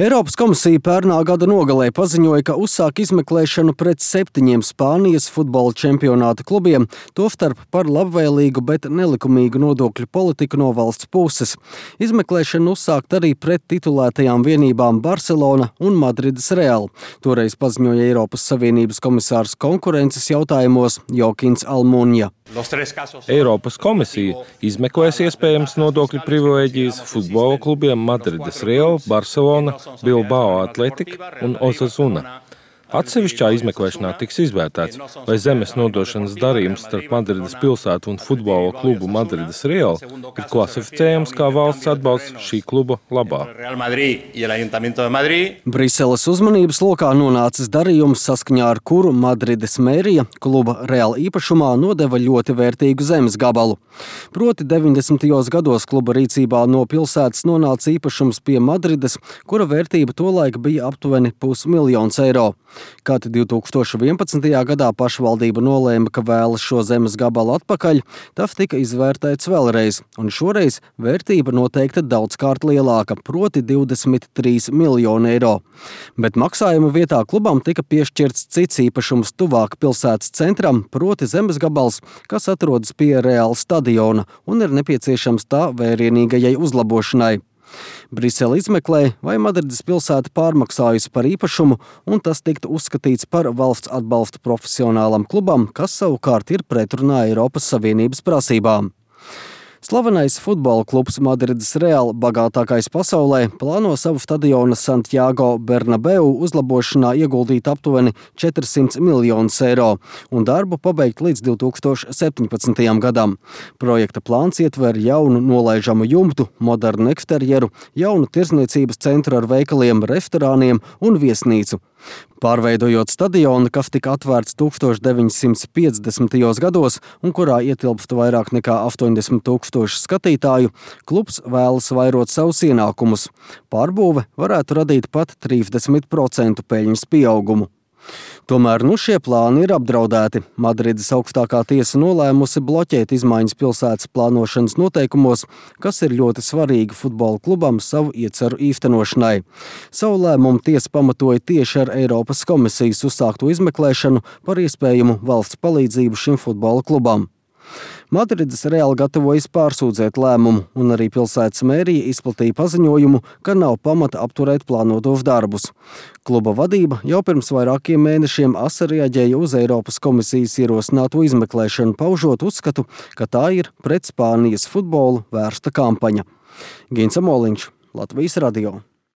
Eiropas komisija pērnā gada nogalē paziņoja, ka uzsāk izmeklēšanu pret 7 Spānijas futbola čempionāta klubiem, tostarp par labvēlīgu, bet nelikumīgu nodokļu politiku no valsts puses. Izmeklēšana uzsākt arī pret titulētajām vienībām Barcelona un Madrides Real. Toreiz paziņoja Eiropas Savienības komisārs konkurences jautājumos Joakins Almuņa. Eiropas komisija izmeklēs iespējams nodokļu privilēģijas futbola klubiem Madrides Real, Barcelona, Bilbao Athletic un Osasuna. Atsevišķā izmeklēšanā tiks izvērtēts, vai zemes nodošanas darījums starp Madrides pilsētu un futbola klubu Madrides Real ir klasificējams kā valsts atbalsts šī kluba labā. Briseles uzmanības lokā nonācis darījums, saskaņā ar kuru Madrides mērija kluba Real īpašumā nodeva ļoti vērtīgu zemes gabalu. Proti 90. gados kluba rīcībā no pilsētas nonāca īpašums pie Madrides, kura vērtība tolaik bija aptuveni €500 000. Kad 2011. gadā pašvaldība nolēma, ka vēlas šo zemes gabalu atpakaļ, tas tika izvērtēts vēlreiz, un šoreiz vērtība noteikti daudzkārt lielāka, proti €23 miljoni. Bet maksājuma vietā klubam tika piešķirts cits īpašums tuvāk pilsētas centram, proti zemes gabals, kas atrodas pie Real stadiona un ir nepieciešams tā vērienīgajai uzlabošanai. Brisele izmeklē, vai Madrides pilsēta pārmaksājusi par īpašumu, un tas tiktu uzskatīts par valsts atbalstu profesionālam klubam, kas savukārt ir pretrunā Eiropas Savienības prasībām. Slavenais futbola klubs Madrides Real, bagātākais pasaulē, plāno savu stadiona Santiago Bernabeu uzlabošanā ieguldīt aptuveni €400 miljonus un darbu pabeigt līdz 2017. gadam. Projekta plāns ietver jaunu nolaižamu jumtu, modernu eksterjeru, jaunu tirdzniecības centru ar veikaliem, restorāniem un viesnīcu. Pārveidojot stadionu, kas tika atvērts 1950. gados un kurā ietilpst vairāk nekā 80 000 skatītāju, klubs vēlas vairot savus ienākumus. Pārbūve varētu radīt pat 30% peļņas pieaugumu. Tomēr šie plāni ir apdraudēti. Madrides augstākā tiesa nolēmusi bloķēt izmaiņas pilsētas plānošanas noteikumos, kas ir ļoti svarīgi futbola klubam savu ieceru īstenošanai. Savu lēmumu tiesa pamatoja tieši ar Eiropas komisijas uzsākto izmeklēšanu par iespējamu valsts palīdzību šim futbola klubam. Madrides Real gatavojas pārsūdzēt lēmumu, un arī pilsētas mērija izplatīja paziņojumu, ka nav pamata apturēt plānotos darbus. Kluba vadība jau pirms vairākiem mēnešiem asi reaģēja uz Eiropas komisijas ierosināto izmeklēšanu, paužot uzskatu, ka tā ir pret Spānijas futbolu vērsta kampaņa. Gins Amoliņš, Latvijas radio.